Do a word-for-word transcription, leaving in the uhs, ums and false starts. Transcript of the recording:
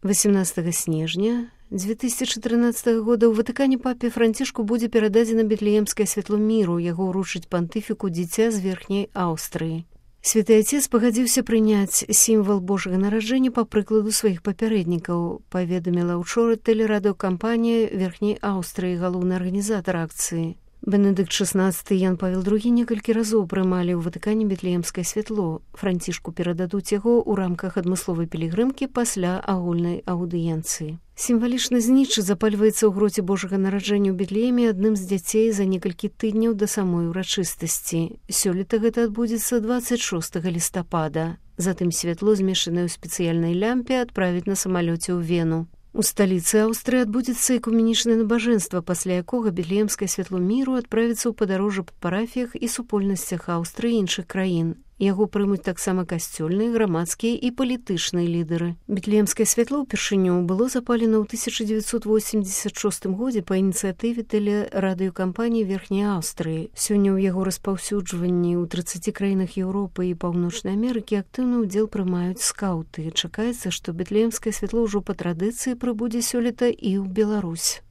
восемнадцатага снежня дзве тысячы трынаццатага года ў Ватыкане папе Францішку будзе перададзена Бетлеемскае святло міру, яго ўручыць пантыфіку дзіця з Верхняй Аўстрыі. Святы Отец пагадзіўся прыняць сімвал Божага нараджэння па прыкладу сваіх папярэднікаў, паведаміла ўчора тэлерадыёкампанія Верхняй Аўстрыі, галоўны арганізатар акцыі. Бенедыкт шаснаццаты і Ян Павел другі некалькі разоў прымалі ў Ватыкане Бетлеемскае святло. Францішку перададуць яго ў рамках адмысловай пілігрымкі пасля агульнай аўдыенцыі. Сімвалічны знічы запальваецца ў гроце Божага нараджэння ў Бетлееме адным з дзяцей за некалькі тыдняў да самой урачыстасці. Сёлета гэта адбудзецца дваццаць шостага лістапада. Затым святло, змешанае ў спецыяльнай лямпе, адправіць на самалёце ў Вену. У сталіцы Аўстрыі адбудзецца экуменічнае набажэнства, пасля якога Бетлеемскае святло міру адправіцца ў падарожжа па парафіях і супольнасцях Аўстрыі і іншых краін. Яго прымуць таксама касцёльныя, грамадскія і палітычныя лідары. Бетлеемскае святло ўпершыню было запалена ў тысяча дзевяцьсот восемьдесят шостым годзе па ініцыятыве тэлерадыёкампаніі Верхняй Аўстрыі. Сёння ў яго распаўсюджванні ў трыццаці краінах Еўропы і Паўночнай Амерыкі актыўны ўдзел прымаюць скаўты. Чакаецца, што Бетлеемскае святло ўжо па традыцыі прыбудзе сёлета і ў Беларусь.